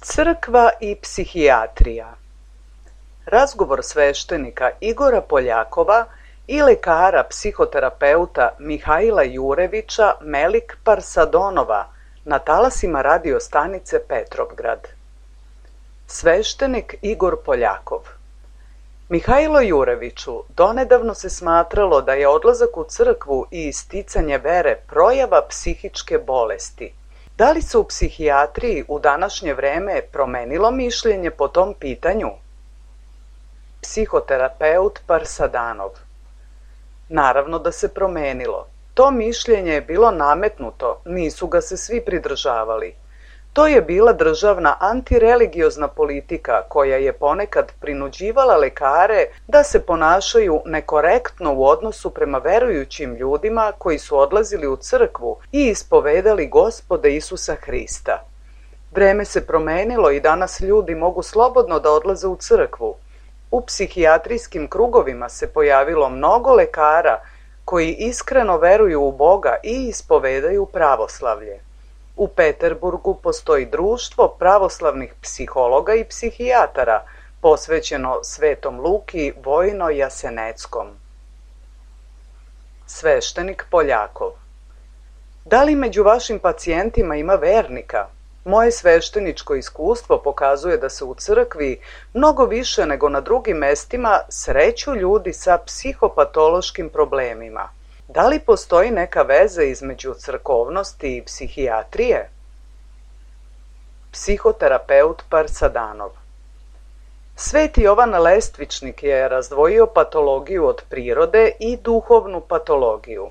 Crkva i psihijatrija. Razgovor sveštenika Igora Poljakova i lekara psihoterapeuta Mihaila Jurevića Melik Parsadonova na talasima radio stanice Petrovgrad. Sveštenik Igor Poljakov. Mihailo Jureviću, donedavno se smatralo da je odlazak u crkvu i isticanje vere projava psihičke bolesti. Da li se u psihijatriji u današnje vreme promenilo mišljenje po tom pitanju? Psihoterapeut Parsadanov. Naravno da se promenilo. To mišljenje je bilo nametnuto, nisu ga se svi pridržavali. To je bila državna antireligiozna politika koja je ponekad prinuđivala lekare da se ponašaju nekorektno u odnosu prema verujućim ljudima koji su odlazili u crkvu i ispovedali Gospoda Isusa Hrista. Vreme se promenilo i danas ljudi mogu slobodno da odlaze u crkvu. U psihijatrijskim krugovima se pojavilo mnogo lekara koji iskreno veruju u Boga i ispovedaju pravoslavlje. U Peterburgu postoji društvo pravoslavnih psihologa i psihijatara, posvećeno Svetom Luki Vojno-Jaseneckom. Sveštenik Poljakov. Da li među vašim pacijentima ima vernika? Moje svešteničko iskustvo pokazuje da se u crkvi mnogo više nego na drugim mestima sreću ljudi sa psihopatološkim problemima. Da li postoji neka veza između crkovnosti i psihijatrije? Psihoterapeut Parsadanov. Sveti Jovan Lestvičnik je razdvojio patologiju od prirode i duhovnu patologiju.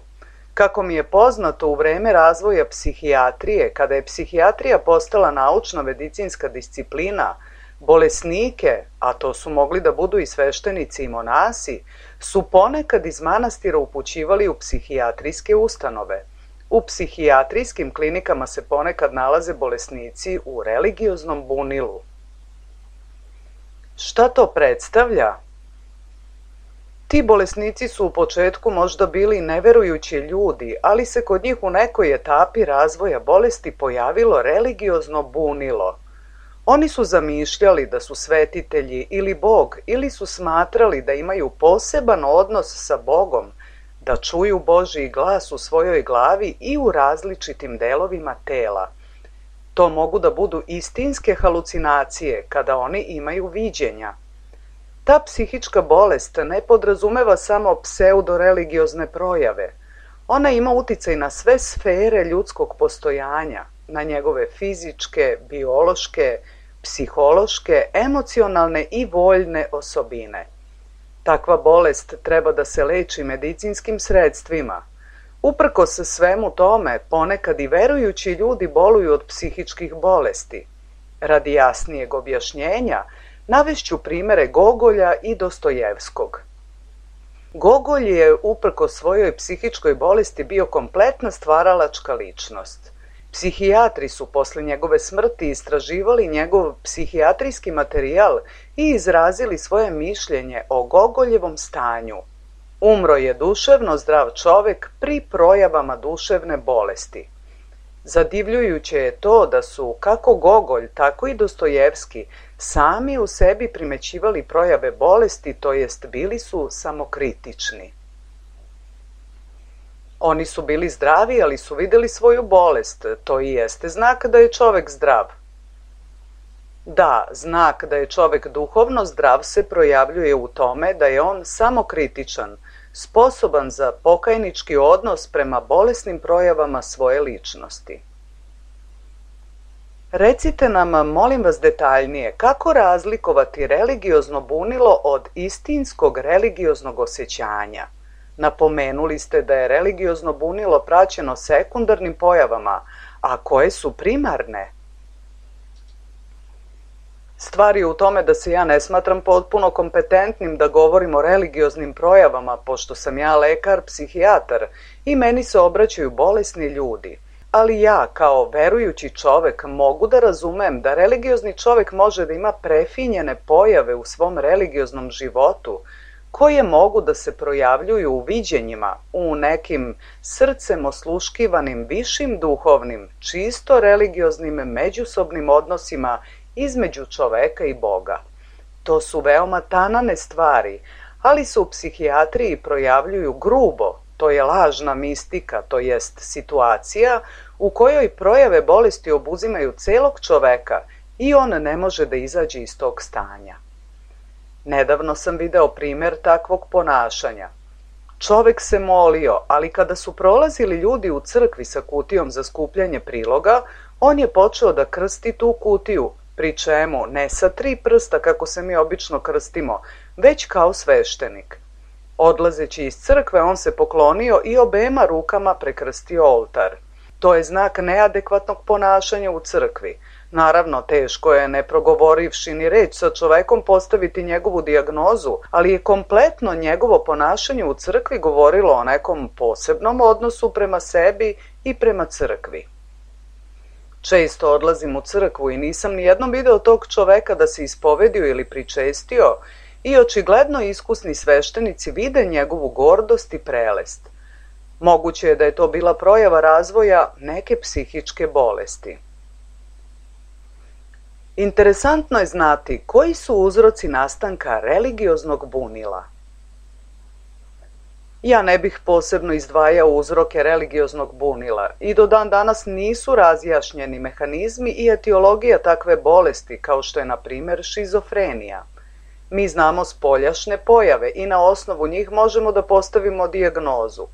Kako mi je poznato, u vreme razvoja psihijatrije, kada je psihijatrija postala naučno-medicinska disciplina, bolesnike, a to su mogli da budu i sveštenici i monasi, su ponekad iz manastira upućivali u psihijatrijske ustanove. U psihijatrijskim klinikama se ponekad nalaze bolesnici u religioznom bunilu. Šta to predstavlja? Ti bolesnici su u početku možda bili neverujući ljudi, ali se kod njih u nekoj etapi razvoja bolesti pojavilo religiozno bunilo. Oni su zamišljali da su svetitelji ili Bog, ili su smatrali da imaju poseban odnos sa Bogom, da čuju Božji glas u svojoj glavi i u različitim delovima tela. To mogu da budu istinske halucinacije kada oni imaju viđenja. Ta psihička bolest ne podrazumeva samo pseudoreligiozne projave. Ona ima uticaj na sve sfere ljudskog postojanja, na njegove fizičke, biološke, psihološke, emocionalne i voljne osobine. Takva bolest treba da se leči medicinskim sredstvima. Uprkos svemu tome, ponekad i verujući ljudi boluju od psihičkih bolesti. Radi jasnijeg objašnjenja, navešću primere Gogolja i Dostojevskog. Gogolj je uprkos svojoj psihičkoj bolesti bio kompletna stvaralačka ličnost. Psihijatri su posle njegove smrti istraživali njegov psihijatrijski materijal i izrazili svoje mišljenje o Gogoljevom stanju. Umro je duševno zdrav čovek pri projavama duševne bolesti. Zadivljujuće je to da su kako Gogolj, tako i Dostojevski sami u sebi primećivali projave bolesti, to jest bili su samokritični. Oni su bili zdravi, ali su videli svoju bolest. To i jeste znak da je čovek zdrav. Da, znak da je čovek duhovno zdrav se projavljuje u tome da je on samokritičan, sposoban za pokajnički odnos prema bolesnim projavama svoje ličnosti. Recite nam, molim vas detaljnije, kako razlikovati religiozno bunilo od istinskog religioznog osjećanja? Napomenuli ste da je religiozno bunilo praćeno sekundarnim pojavama, a koje su primarne? Stvar je u tome da se ja ne smatram potpuno kompetentnim da govorim o religioznim projavama, pošto sam ja lekar, psihijatar i meni se obraćaju bolesni ljudi. ali ja kao verujući čovek mogu da razumem da religiozni čovek može da ima prefinjene pojave u svom religioznom životu koje mogu da se projavljuju u viđenjima, u nekim srcem osluškivanim višim duhovnim, čisto religioznim međusobnim odnosima između čoveka i Boga. To su veoma tanane stvari, ali se u psihijatriji projavljuju grubo, to je lažna mistika, to jest situacija u kojoj projave bolesti obuzimaju celog čoveka i on ne može da izađe iz tog stanja. Nedavno sam video primer takvog ponašanja. Čovek se molio, ali kada su prolazili ljudi u crkvi sa kutijom za skupljanje priloga, on je počeo da krsti tu kutiju, pri čemu ne sa 3 prsta kako se mi obično krstimo, već kao sveštenik. Odlazeći iz crkve, on se poklonio i obema rukama prekrstio oltar. To je znak neadekvatnog ponašanja u crkvi. Naravno, teško je, ne progovorivši ni reč sa čovekom, postaviti njegovu dijagnozu, ali je kompletno njegovo ponašanje u crkvi govorilo o nekom posebnom odnosu prema sebi i prema crkvi. Često odlazim u crkvu i nisam nijednom video tog čoveka da se ispovedio ili pričestio i očigledno iskusni sveštenici vide njegovu gordost i prelest. Moguće je da je to bila projava razvoja neke psihičke bolesti. Interesantno je znati koji su uzroci nastanka religioznog bunila. Ja ne bih posebno izdvajao uzroke religioznog bunila i do dan danas nisu razjašnjeni mehanizmi i etiologija takve bolesti kao što je na primjer šizofrenija. Mi znamo spoljašne pojave i na osnovu njih možemo da postavimo dijagnozu.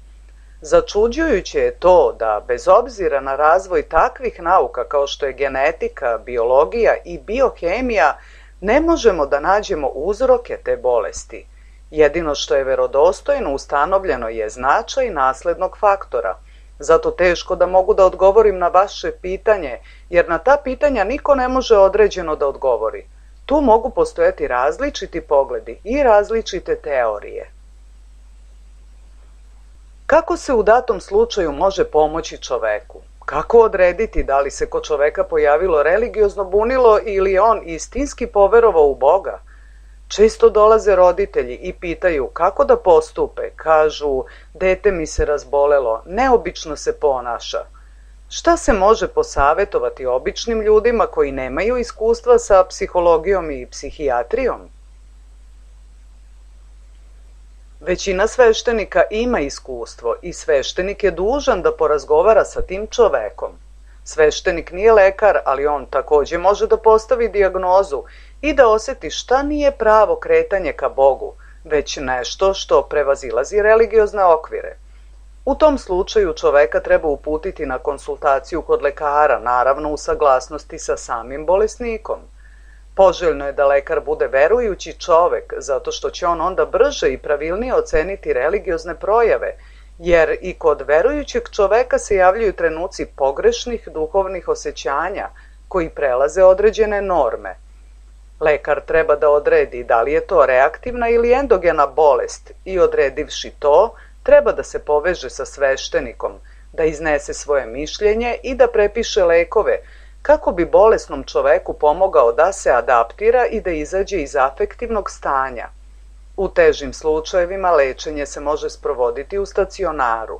Začuđujuće je to da, bez obzira na razvoj takvih nauka kao što je genetika, biologija i biohemija, ne možemo da nađemo uzroke te bolesti. Jedino što je verodostojno ustanovljeno je značaj naslednog faktora. Zato teško da mogu da odgovorim na vaše pitanje, jer na ta pitanja niko ne može određeno da odgovori. Tu mogu postojati različiti pogledi i različite teorije. Kako se u datom slučaju može pomoći čoveku? Kako odrediti da li se kod čoveka pojavilo religiozno bunilo ili je on istinski poverovao u Boga? Često dolaze roditelji i pitaju kako da postupe. Kažu, dete mi se razbolelo, neobično se ponaša. Šta se može posavetovati običnim ljudima koji nemaju iskustva sa psihologijom i psihijatrijom? Većina sveštenika ima iskustvo i sveštenik je dužan da porazgovara sa tim čovekom. Sveštenik nije lekar, ali on takođe može da postavi dijagnozu i da oseti šta nije pravo kretanje ka Bogu, već nešto što prevazilazi religiozne okvire. U tom slučaju čoveka treba uputiti na konsultaciju kod lekara, naravno u saglasnosti sa samim bolesnikom. Poželjno je da lekar bude verujući čovek, zato što će on onda brže i pravilnije oceniti religiozne projave, jer i kod verujućeg čoveka se javljaju trenuci pogrešnih duhovnih osjećanja koji prelaze određene norme. Lekar treba da odredi da li je to reaktivna ili endogena bolest i odredivši to, treba da se poveže sa sveštenikom, da iznese svoje mišljenje i da prepiše lekove, kako bi bolesnom čoveku pomogao da se adaptira i da izađe iz afektivnog stanja. U težim slučajevima lečenje se može sprovoditi u stacionaru.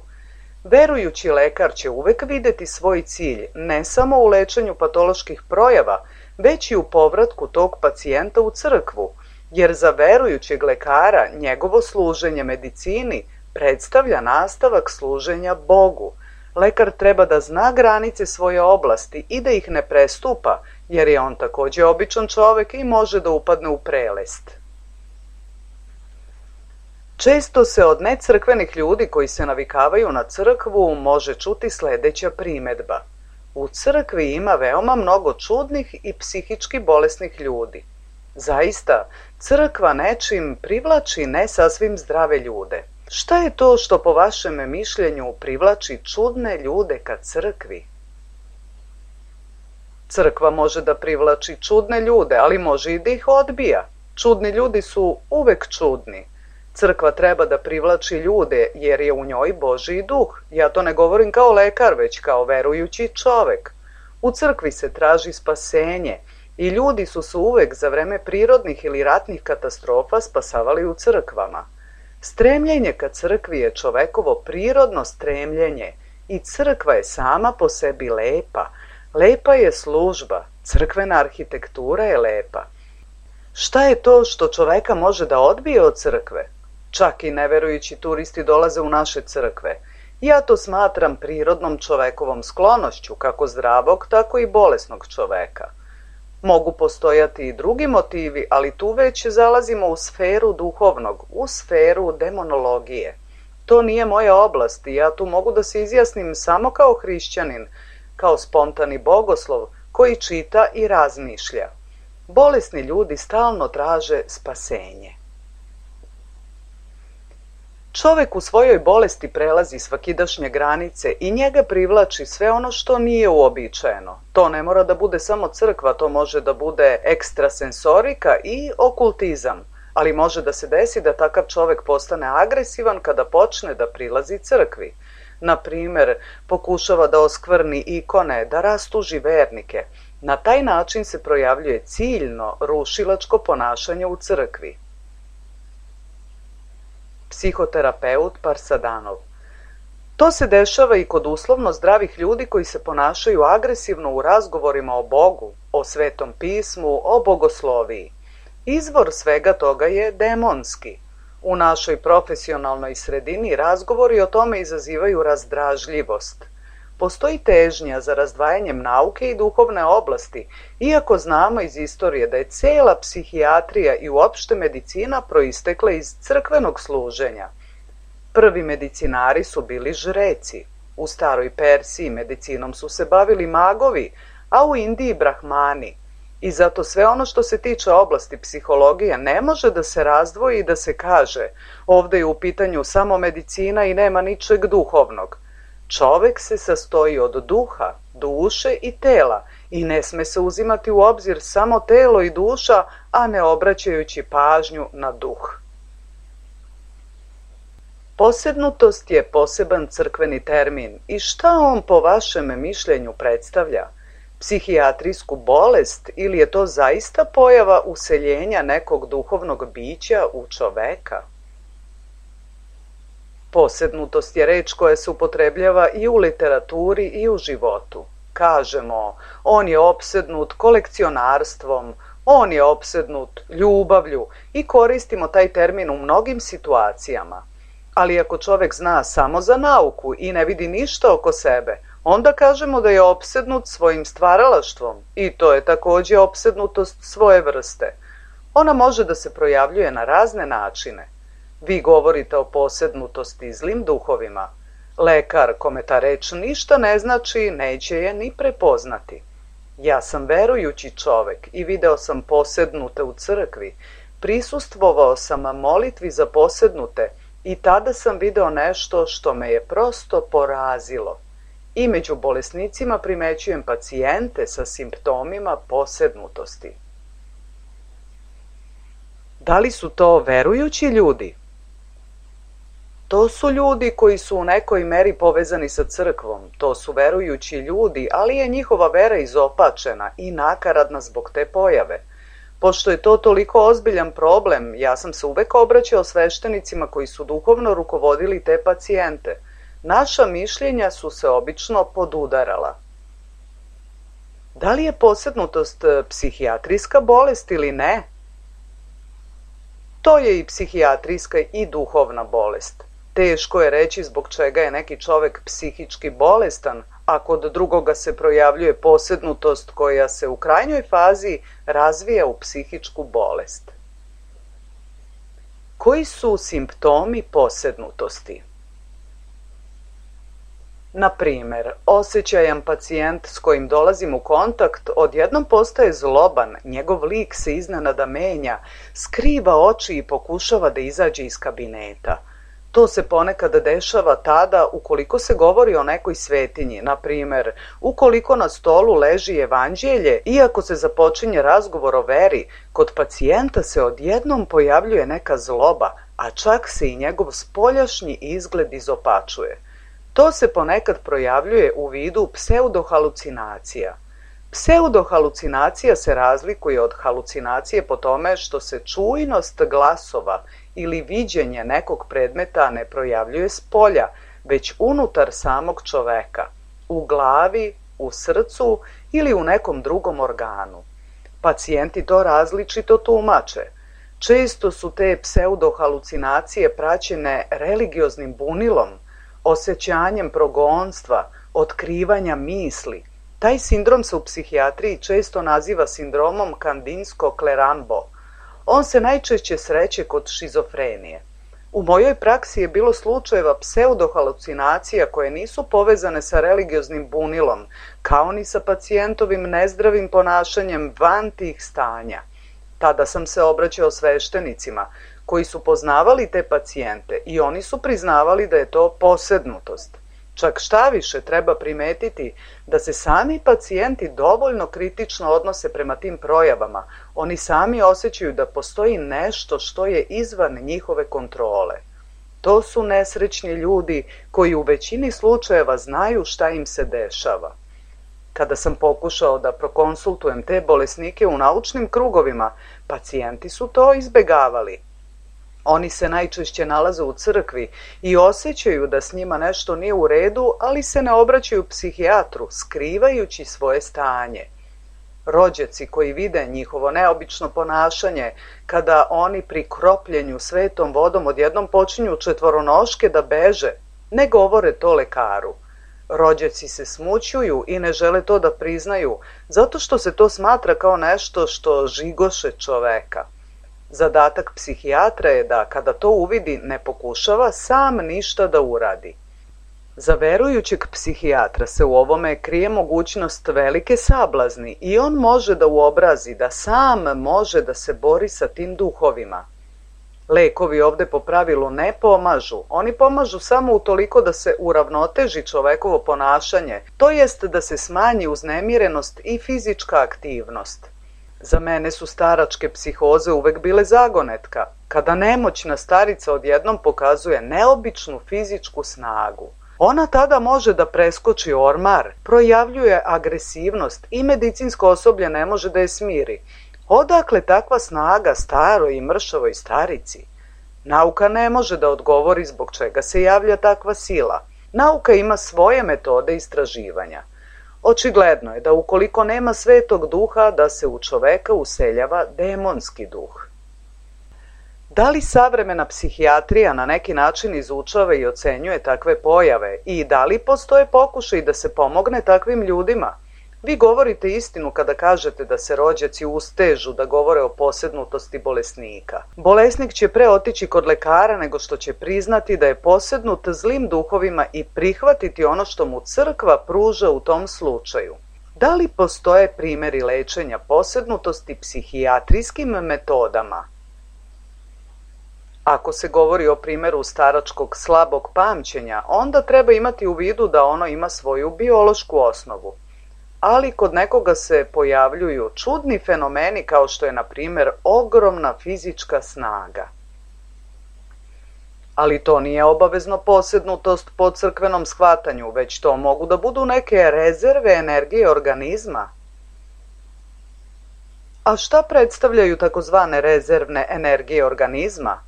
Verujući lekar će uvek videti svoj cilj ne samo u lečenju patoloških projava, već i u povratku tog pacijenta u crkvu, jer za verujućeg lekara njegovo služenje medicini predstavlja nastavak služenja Bogu. Lekar treba da zna granice svoje oblasti i da ih ne prestupa, jer je on takođe običan čovek i može da upadne u prelest. Često se od necrkvenih ljudi koji se navikavaju na crkvu može čuti sledeća primedba. U crkvi ima veoma mnogo čudnih i psihički bolesnih ljudi. Zaista, crkva nečim privlači ne sasvim zdrave ljude. Šta je to što po vašem mišljenju privlači čudne ljude ka crkvi? Crkva može da privlači čudne ljude, ali može i da ih odbija. Čudni ljudi su uvek čudni. Crkva treba da privlači ljude jer je u njoj Božji duh. Ja to ne govorim kao lekar, već kao verujući čovek. U crkvi se traži spasenje i ljudi su se uvek za vreme prirodnih ili ratnih katastrofa spasavali u crkvama. Stremljenje ka crkvi je čovekovo prirodno stremljenje i crkva je sama po sebi lepa. Lepa je služba, crkvena arhitektura je lepa. Šta je to što čoveka može da odbije od crkve? Čak i neverujući turisti dolaze u naše crkve. Ja to smatram prirodnom čovekovom sklonošću, kako zdravog, tako i bolesnog čoveka. Mogu postojati i drugi motivi, ali tu već zalazimo u sferu duhovnog, u sferu demonologije. To nije moja oblast i ja tu mogu da se izjasnim samo kao hrišćanin, kao spontani bogoslov koji čita i razmišlja. Bolesni ljudi stalno traže spasenje. Čovek u svojoj bolesti prelazi svakidašnje granice i njega privlači sve ono što nije uobičajeno. To ne mora da bude samo crkva, to može da bude ekstrasensorika i okultizam, ali može da se desi da takav čovek postane agresivan kada počne da prilazi crkvi. Na primer, pokušava da oskvrni ikone, da rastuži vernike. Na taj način se projavljuje ciljno rušilačko ponašanje u crkvi. Psihoterapeut Parsadanov. To se dešava i kod uslovno zdravih ljudi koji se ponašaju agresivno u razgovorima o Bogu, o Svetom pismu, o bogosloviji. Izvor svega toga je demonski. U našoj profesionalnoj sredini razgovori o tome izazivaju razdražljivost. Postoji težnja za razdvajanjem nauke i duhovne oblasti, iako znamo iz istorije da je cela psihijatrija i uopšte medicina proistekla iz crkvenog služenja. Prvi medicinari su bili žreci. U staroj Persiji medicinom su se bavili magovi, a u Indiji brahmani. I zato sve ono što se tiče oblasti psihologije ne može da se razdvoji i da se kaže ovde je u pitanju samo medicina i nema ničeg duhovnog. Čovek se sastoji od duha, duše i tela i ne sme se uzimati u obzir samo telo i duša, a ne obraćajući pažnju na duh. Posednutost je poseban crkveni termin i šta on po vašem mišljenju predstavlja? Psihijatrijsku bolest ili je to zaista pojava useljenja nekog duhovnog bića u čoveka? Posednutost je reč koja se upotrebljava i u literaturi i u životu. Kažemo, on je opsednut kolekcionarstvom, on je opsednut ljubavlju i koristimo taj termin u mnogim situacijama. Ali ako čovek zna samo za nauku i ne vidi ništa oko sebe, onda kažemo da je opsednut svojim stvaralaštvom i to je takođe opsednutost svoje vrste. Ona može da se projavljuje na razne načine. Vi govorite o posednutosti zlim duhovima. Lekar, kome ta reč ništa ne znači, neće je ni prepoznati. Ja sam verujući čovek i video sam posednute u crkvi. Prisustvovao sam molitvi za posednute i tada sam video nešto što me je prosto porazilo. I među bolesnicima primećujem pacijente sa simptomima posednutosti. Da li su to verujući ljudi? To su ljudi koji su u nekoj meri povezani sa crkvom, to su verujući ljudi, ali je njihova vera izopačena i nakaradna zbog te pojave. Pošto je to toliko ozbiljan problem, ja sam se uvek obraćao sveštenicima koji su duhovno rukovodili te pacijente. Naša mišljenja su se obično podudarala. Da li je posednutost psihijatrijska bolest ili ne? To je i psihijatrijska i duhovna bolest. Teško je reći zbog čega je neki čovek psihički bolestan, a kod drugoga se projavljuje posednutost koja se u krajnjoj fazi razvija u psihičku bolest. Koji su simptomi posednutosti? Na primer, osjećajan pacijent s kojim dolazim u kontakt odjednom postaje zloban, njegov lik se iznenada menja, skriva oči i pokušava da izađe iz kabineta. To se ponekad dešava tada ukoliko se govori o nekoj svetinji, na primer, ukoliko na stolu leži evanđelje, iako se započinje razgovor o veri, kod pacijenta se odjednom pojavljuje neka zloba, a čak se i njegov spoljašnji izgled izopačuje. To se ponekad projavljuje u vidu pseudohalucinacija. Pseudohalucinacija se razlikuje od halucinacije po tome što se čujnost glasova ili viđenje nekog predmeta ne projavljuje spolja, već unutar samog čoveka, u glavi, u srcu ili u nekom drugom organu. Pacijenti to različito tumače. Često su te pseudohalucinacije praćene religioznim bunilom, osjećanjem progonstva, otkrivanja misli. Taj sindrom se u psihijatriji često naziva sindromom Kandinsko-Klerambo. On se najčešće sreće kod šizofrenije. U mojoj praksi je bilo slučajeva pseudohalucinacija koje nisu povezane sa religioznim bunilom, kao ni sa pacijentovim nezdravim ponašanjem van tih stanja. Tada sam se obraćao sveštenicima, koji su poznavali te pacijente i oni su priznavali da je to posednutost. Čak šta više treba primetiti da se sami pacijenti dovoljno kritično odnose prema tim projavama. Oni sami osjećaju da postoji nešto što je izvan njihove kontrole. To su nesrećni ljudi koji u većini slučajeva znaju šta im se dešava. Kada sam pokušao da prokonsultujem te bolesnike u naučnim krugovima, pacijenti su to izbegavali. Oni se najčešće nalaze u crkvi i osjećaju da s njima nešto nije u redu, ali se ne obraćaju psihijatru, skrivajući svoje stanje. Rođaci koji vide njihovo neobično ponašanje, kada oni pri kropljenju svetom vodom odjednom počinju četvoronoške da beže, ne govore to lekaru. Rođaci se smućuju i ne žele to da priznaju, zato što se to smatra kao nešto što žigoše čoveka. Zadatak psihijatra je da, kada to uvidi, ne pokušava sam ništa da uradi. Za verujućeg psihijatra se u ovome krije mogućnost velike sablazni i on može da uobrazi da sam može da se bori sa tim duhovima. Lekovi ovde po pravilu ne pomažu, oni pomažu samo utoliko da se uravnoteži čovekovo ponašanje, to jest da se smanji uznemirenost i fizička aktivnost. Za mene su staračke psihoze uvek bile zagonetka, kada nemoćna starica odjednom pokazuje neobičnu fizičku snagu. Ona tada može da preskoči ormar, projavljuje agresivnost i medicinsko osoblje ne može da je smiri. Odakle takva snaga staroj i mršavoj starici? Nauka ne može da odgovori zbog čega se javlja takva sila. Nauka ima svoje metode istraživanja. Očigledno je da ukoliko nema svetog duha, da se u čoveka useljava demonski duh. Da li savremena psihijatrija na neki način izučava i ocenjuje takve pojave i da li postoje pokušaj da se pomogne takvim ljudima? Vi govorite istinu kada kažete da se rođaci ustežu da govore o posednutosti bolesnika. Bolesnik će pre otići kod lekara nego što će priznati da je posednut zlim duhovima i prihvatiti ono što mu crkva pruža u tom slučaju. Da li postoje primjeri lečenja posednutosti psihijatrijskim metodama? Ako se govori o primjeru staračkog slabog pamćenja, onda treba imati u vidu da ono ima svoju biološku osnovu. Ali kod nekoga se pojavljuju čudni fenomeni kao što je, na primjer, ogromna fizička snaga. Ali to nije obavezno posednutost po crkvenom shvatanju, već to mogu da budu neke rezerve energije organizma. A šta predstavljaju takozvane rezervne energije organizma?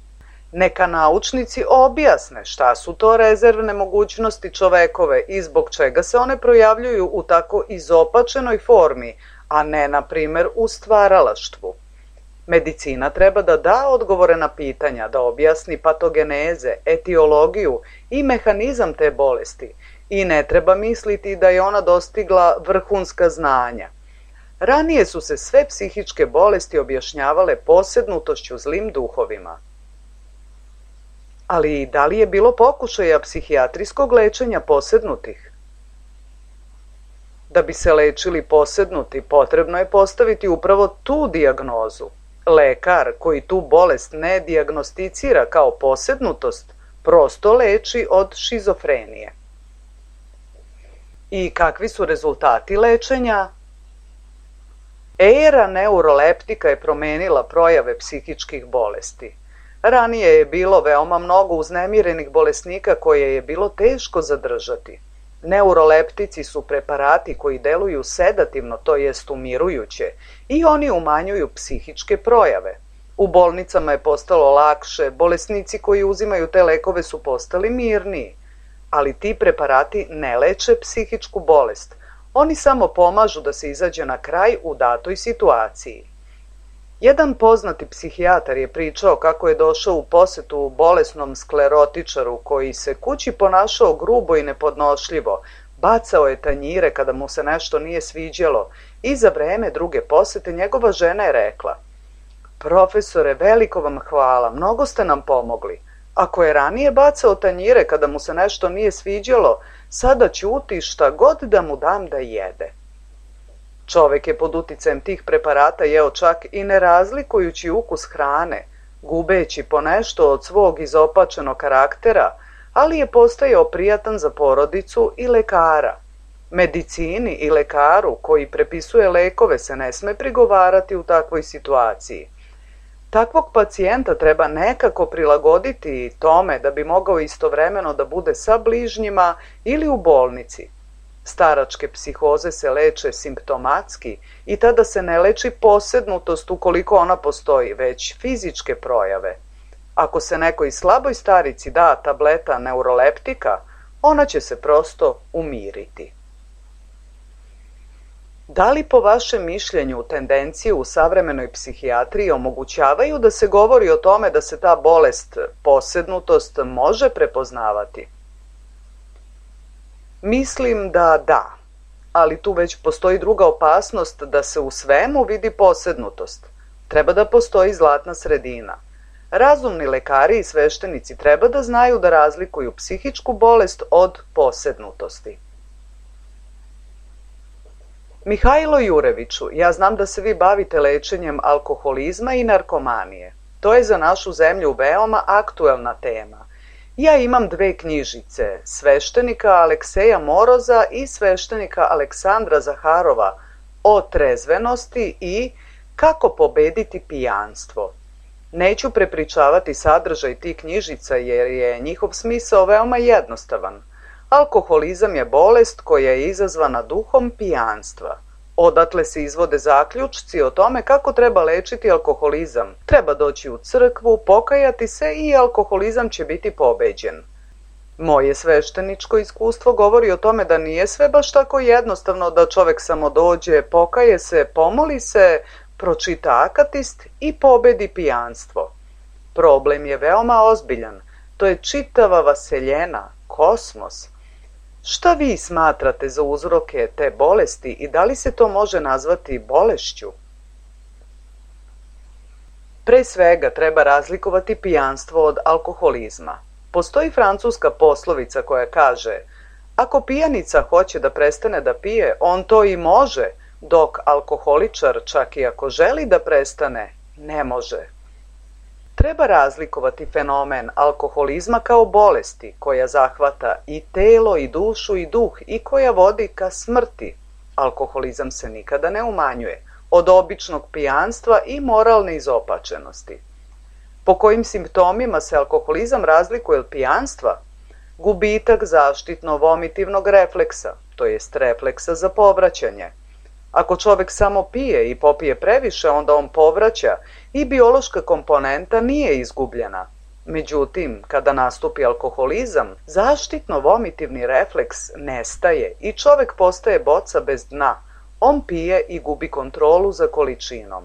Neka naučnici objasne šta su to rezervne mogućnosti čovekove i zbog čega se one projavljuju u tako izopačenoj formi, a ne, na primjer, u stvaralaštvu. Medicina treba da da odgovore na pitanja, da objasni patogeneze, etiologiju i mehanizam te bolesti i ne treba misliti da je ona dostigla vrhunska znanja. Ranije su se sve psihičke bolesti objašnjavale posednutošću zlim duhovima. Ali da li je bilo pokušaja psihijatrijskog lečenja posednutih? Da bi se lečili posednuti, potrebno je postaviti upravo tu dijagnozu. Lekar koji tu bolest ne dijagnosticira kao posednutost, prosto leči od šizofrenije. I kakvi su rezultati lečenja? Era neuroleptika je promenila projave psihičkih bolesti. Ranije je bilo veoma mnogo uznemirenih bolesnika koje je bilo teško zadržati. Neuroleptici su preparati koji deluju sedativno, to jest umirujuće, i oni umanjuju psihičke projave. U bolnicama je postalo lakše, bolesnici koji uzimaju te lekove su postali mirniji, ali ti preparati ne leče psihičku bolest. Oni samo pomažu da se izađe na kraj u datoj situaciji. Jedan poznati psihijatar je pričao kako je došao u posetu bolesnom sklerotičaru koji se kući ponašao grubo i nepodnošljivo, bacao je tanjire kada mu se nešto nije sviđalo i za vreme druge posete njegova žena je rekla: "Profesore, veliko vam hvala, mnogo ste nam pomogli. Ako je ranije bacao tanjire kada mu se nešto nije sviđalo, sada ćuti šta god da mu dam da jede." Čovek je pod uticajem tih preparata jeo čak i ne razlikujući ukus hrane, gubeći ponešto od svog izopačenog karaktera, ali je postajao prijatan za porodicu i lekara. Medicini i lekaru koji prepisuje lekove se ne sme prigovarati u takvoj situaciji. Takvog pacijenta treba nekako prilagoditi tome da bi mogao istovremeno da bude sa bližnjima ili u bolnici. Staračke psihoze se leče simptomatski i tada se ne leči posednutost ukoliko ona postoji, već fizičke projave. Ako se nekoj slaboj starici da tableta neuroleptika, ona će se prosto umiriti. Da li po vašem mišljenju tendencije u savremenoj psihijatriji omogućavaju da se govori o tome da se ta bolest, posednutost, može prepoznavati? Mislim da da, ali tu već postoji druga opasnost da se u svemu vidi posednutost. Treba da postoji zlatna sredina. Razumni lekari i sveštenici treba da znaju da razlikuju psihičku bolest od posednutosti. Mihajlo Jureviću, ja znam da se vi bavite lečenjem alkoholizma i narkomanije. To je za našu zemlju veoma aktuelna tema. Ja imam dve knjižice, sveštenika Alekseja Moroza i sveštenika Aleksandra Zaharova o trezvenosti i Kako pobediti pijanstvo. Neću prepričavati sadržaj tih knjižica jer je njihov smisao veoma jednostavan. Alkoholizam je bolest koja je izazvana duhom pijanstva. Odatle se izvode zaključci o tome kako treba lečiti alkoholizam. Treba doći u crkvu, pokajati se i alkoholizam će biti pobeđen. Moje svešteničko iskustvo govori o tome da nije sve baš tako jednostavno da čovek samo dođe, pokaje se, pomoli se, pročita akatist i pobedi pijanstvo. Problem je veoma ozbiljan. To je čitava vaseljena, kosmos. Šta vi smatrate za uzroke te bolesti i da li se to može nazvati bolešću? Pre svega treba razlikovati pijanstvo od alkoholizma. Postoji francuska poslovica koja kaže: ako pijanica hoće da prestane da pije, on to i može, dok alkoholičar, čak i ako želi da prestane, ne može. Treba razlikovati fenomen alkoholizma kao bolesti koja zahvata i telo i dušu i duh i koja vodi ka smrti. Alkoholizam se nikada ne umanjuje, od običnog pijanstva i moralne izopačenosti. Po kojim simptomima se alkoholizam razlikuje od pijanstva? Gubitak zaštitno-vomitivnog refleksa, to jest refleksa za povraćanje. Ako čovek samo pije i popije previše, onda on povraća i biološka komponenta nije izgubljena. Međutim, kada nastupi alkoholizam, zaštitno-vomitivni refleks nestaje i čovek postaje boca bez dna. On pije i gubi kontrolu za količinom.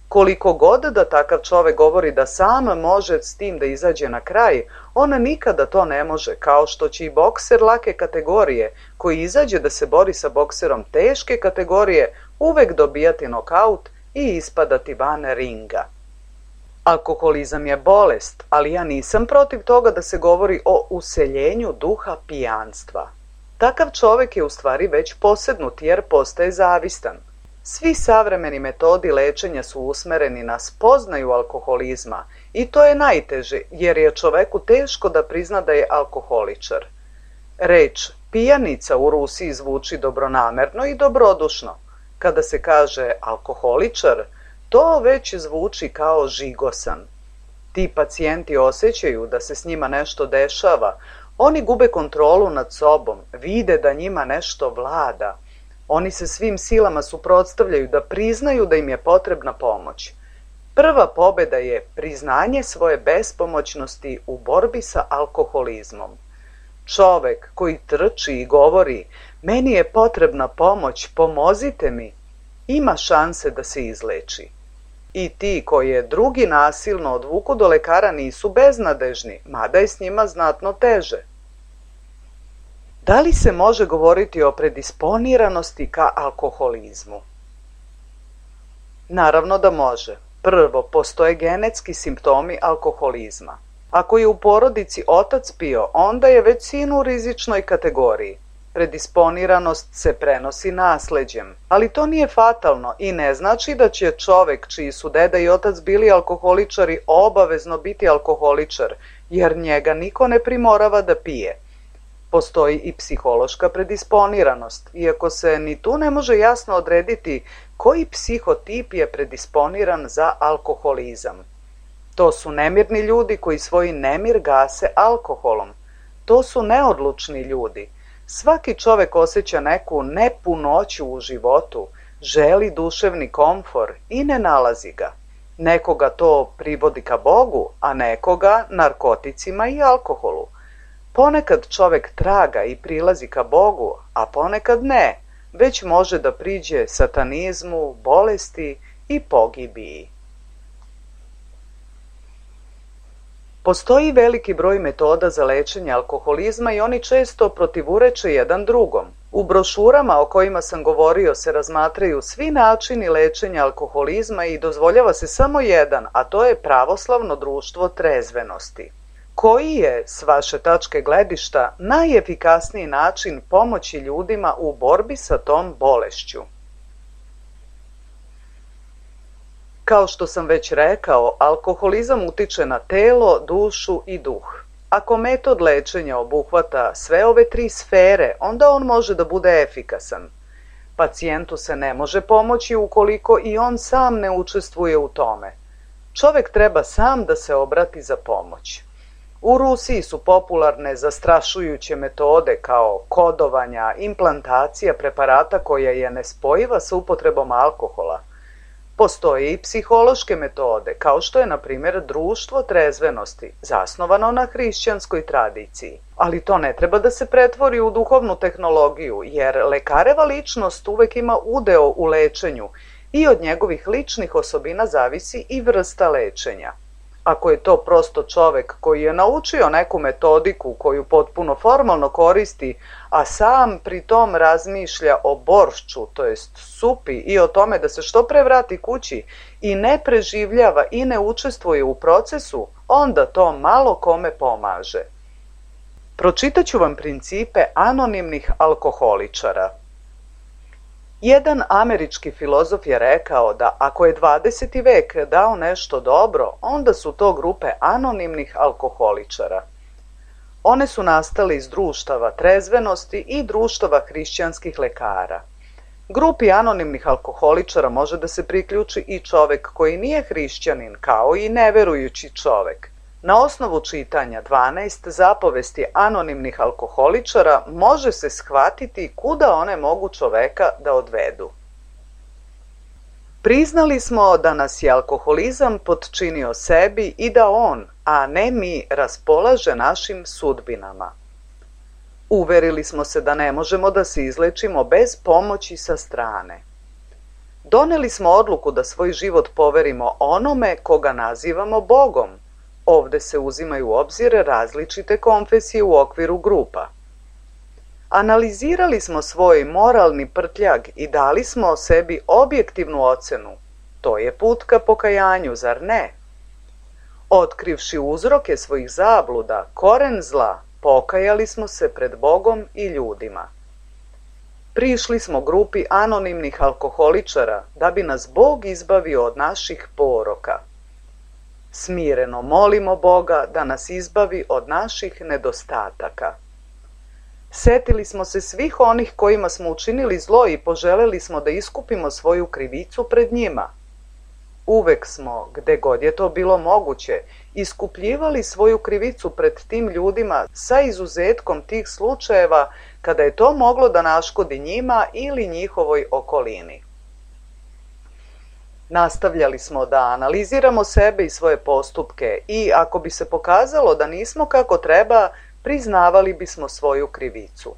Koliko god da takav čovek govori da sam može s tim da izađe na kraj, on nikada to ne može, kao što će i bokser lake kategorije, koji izađe da se bori sa bokserom teške kategorije, uvek dobijati nokaut i ispadati van ringa. Alkoholizam je bolest, ali ja nisam protiv toga da se govori o useljenju duha pijanstva. Takav čovek je u stvari već posednut jer postaje zavistan. Svi savremeni metodi lečenja su usmereni na spoznaju alkoholizma i to je najteže jer je čoveku teško da prizna da je alkoholičar. Reč pijanica u Rusiji zvuči dobronamerno i dobrodušno. Kada se kaže alkoholičar, to već zvuči kao žigosan. Ti pacijenti osjećaju da se s njima nešto dešava, oni gube kontrolu nad sobom, vide da njima nešto vlada. Oni se svim silama suprotstavljaju da priznaju da im je potrebna pomoć. Prva pobjeda je priznanje svoje bespomoćnosti u borbi sa alkoholizmom. Čovek koji trči i govori, meni je potrebna pomoć, pomozite mi, ima šanse da se izleči. I ti koje drugi nasilno odvuku do lekara nisu beznadežni, mada je s njima znatno teže. Da li se može govoriti o predisponiranosti ka alkoholizmu? Naravno da može. Prvo, postoje genetski simptomi alkoholizma. Ako je u porodici otac pio, onda je već sin u rizičnoj kategoriji. Predisponiranost se prenosi nasleđem, ali to nije fatalno i ne znači da će čovek čiji su deda i otac bili alkoholičari obavezno biti alkoholičar, jer njega niko ne primorava da pije. Postoji i psihološka predisponiranost, iako se ni tu ne može jasno odrediti koji psihotip je predisponiran za alkoholizam. To su nemirni ljudi koji svoj nemir gase alkoholom. To su neodlučni ljudi. Svaki čovek osjeća neku nepunoću u životu, želi duševni komfor i ne nalazi ga. Nekoga to privodi ka Bogu, a nekoga narkoticima i alkoholu. Ponekad čovek traga i prilazi ka Bogu, a ponekad ne, već može da priđe satanizmu, bolesti i pogibiji. Postoji veliki broj metoda za lečenje alkoholizma i oni često protivureče jedan drugom. U brošurama o kojima sam govorio se razmatraju svi načini lečenja alkoholizma i dozvoljava se samo jedan, a to je Pravoslavno društvo trezvenosti. Koji je, s vaše tačke gledišta, najefikasniji način pomoći ljudima u borbi sa tom bolešću? Kao što sam već rekao, alkoholizam utiče na telo, dušu i duh. Ako metod lečenja obuhvata sve ove tri sfere, onda on može da bude efikasan. Pacijentu se ne može pomoći ukoliko i on sam ne učestvuje u tome. Čovek treba sam da se obrati za pomoć. U Rusiji su popularne zastrašujuće metode kao kodovanja, implantacija preparata koja je nespojiva sa upotrebom alkohola. Postoje i psihološke metode, kao što je, na primjer, društvo trezvenosti, zasnovano na hrišćanskoj tradiciji. Ali to ne treba da se pretvori u duhovnu tehnologiju, jer lekareva ličnost uvek ima udeo u lečenju i od njegovih ličnih osobina zavisi i vrsta lečenja. Ako je to prosto čovek koji je naučio neku metodiku koju potpuno formalno koristi, a sam pri tom razmišlja o boršču, to jest supi, i o tome da se što pre vrati kući i ne preživljava i ne učestvuje u procesu, onda to malo kome pomaže. Pročitaću vam principe anonimnih alkoholičara. Jedan američki filozof je rekao da ako je 20. vek dao nešto dobro, onda su to grupe anonimnih alkoholičara. One su nastale iz društava trezvenosti i društava hrišćanskih lekara. Grupi anonimnih alkoholičara može da se priključi i čovek koji nije hrišćanin, kao i neverujući čovek. Na osnovu čitanja 12 zapovesti anonimnih alkoholičara može se shvatiti kuda one mogu čoveka da odvedu. Priznali smo da nas je alkoholizam potčinio sebi i da on, a ne mi, raspolaže našim sudbinama. Uverili smo se da ne možemo da se izlečimo bez pomoći sa strane. Doneli smo odluku da svoj život poverimo onome koga nazivamo Bogom. Ovde se uzimaju u obzir različite konfesije u okviru grupa. Analizirali smo svoj moralni prtljag i dali smo o sebi objektivnu ocenu. To je put ka pokajanju, zar ne? Otkrivši uzroke svojih zabluda, koren zla, pokajali smo se pred Bogom i ljudima. Prišli smo grupi anonimnih alkoholičara da bi nas Bog izbavio od naših poroka. Smireno molimo Boga da nas izbavi od naših nedostataka. Setili smo se svih onih kojima smo učinili zlo i poželeli smo da iskupimo svoju krivicu pred njima. Uvek smo, gde god je to bilo moguće, iskupljivali svoju krivicu pred tim ljudima sa izuzetkom tih slučajeva kada je to moglo da naškodi njima ili njihovoj okolini. Nastavljali smo da analiziramo sebe i svoje postupke i ako bi se pokazalo da nismo kako treba, priznavali bismo svoju krivicu.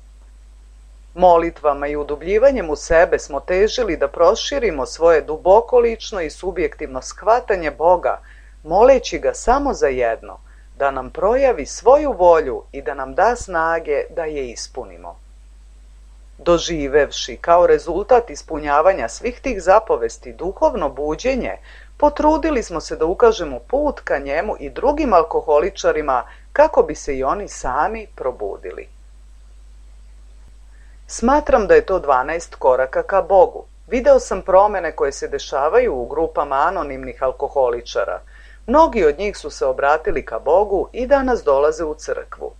Molitvama i udubljivanjem u sebe smo težili da proširimo svoje duboko lično i subjektivno shvatanje Boga, moleći ga samo za jedno, da nam projavi svoju volju i da nam da snage da je ispunimo. Doživevši kao rezultat ispunjavanja svih tih zapovesti duhovno buđenje, potrudili smo se da ukažemo put ka njemu i drugim alkoholičarima kako bi se i oni sami probudili. Smatram da je to 12 koraka ka Bogu. Video sam promene koje se dešavaju u grupama anonimnih alkoholičara. Mnogi od njih su se obratili ka Bogu i danas dolaze u crkvu.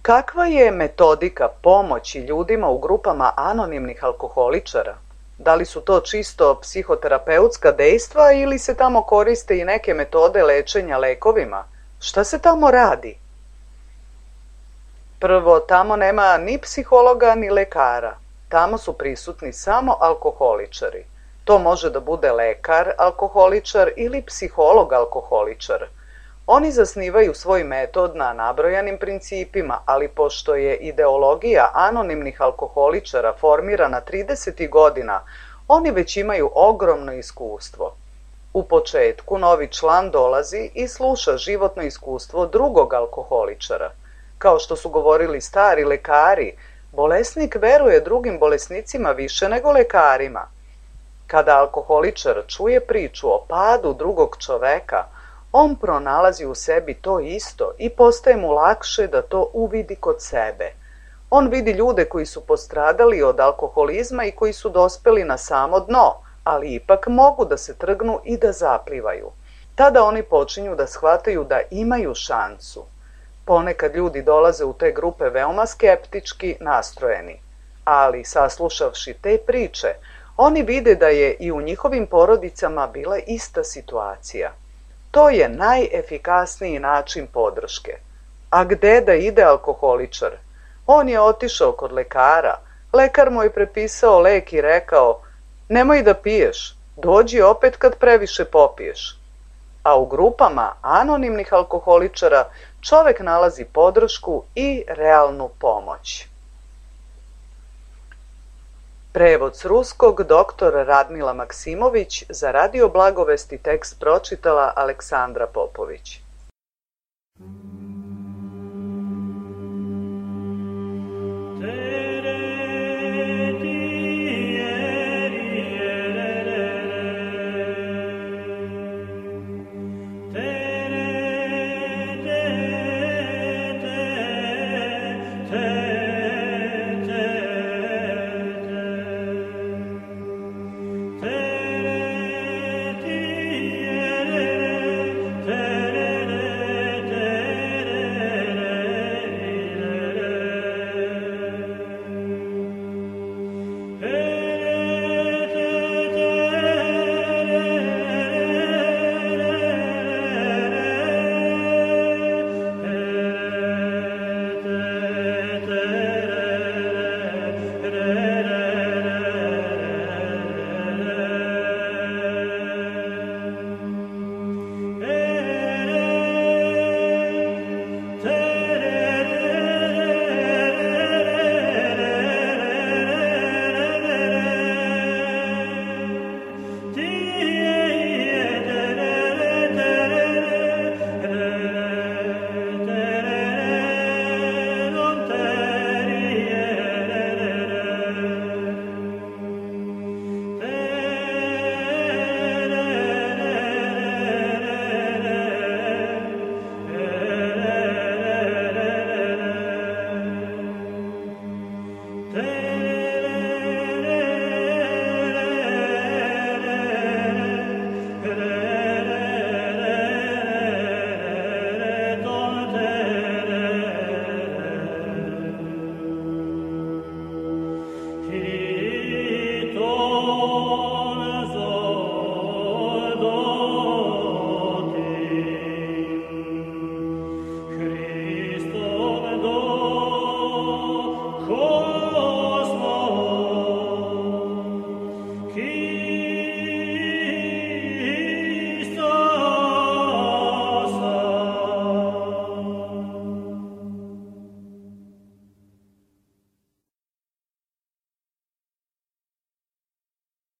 Kakva je metodika pomoći ljudima u grupama anonimnih alkoholičara? Da li su to čisto psihoterapeutska dejstva ili se tamo koriste i neke metode lečenja lekovima? Šta se tamo radi? Prvo, tamo nema ni psihologa ni lekara. Tamo su prisutni samo alkoholičari. To može da bude lekar alkoholičar ili psiholog alkoholičar. Oni zasnivaju svoj metod na nabrojanim principima, ali pošto je ideologija anonimnih alkoholičara formirana 30. godina, oni već imaju ogromno iskustvo. U početku novi član dolazi i sluša životno iskustvo drugog alkoholičara. Kao što su govorili stari lekari, bolesnik veruje drugim bolesnicima više nego lekarima. Kada alkoholičar čuje priču o padu drugog čoveka, on pronalazi u sebi to isto i postaje mu lakše da to uvidi kod sebe. On vidi ljude koji su postradali od alkoholizma i koji su dospeli na samo dno, ali ipak mogu da se trgnu i da zaplivaju. Tada oni počinju da shvataju da imaju šansu. Ponekad ljudi dolaze u te grupe veoma skeptički nastrojeni, ali saslušavši te priče, oni vide da je i u njihovim porodicama bila ista situacija. To je najefikasniji način podrške. A gde da ide alkoholičar? On je otišao kod lekara. Lekar mu je prepisao lek i rekao: nemoj da piješ, dođi opet kad previše popiješ. A u grupama anonimnih alkoholičara čovek nalazi podršku i realnu pomoć. Prevod s ruskog dr. Radmila Maksimović, za Radio Blagovesti tekst pročitala Aleksandra Popović. Hey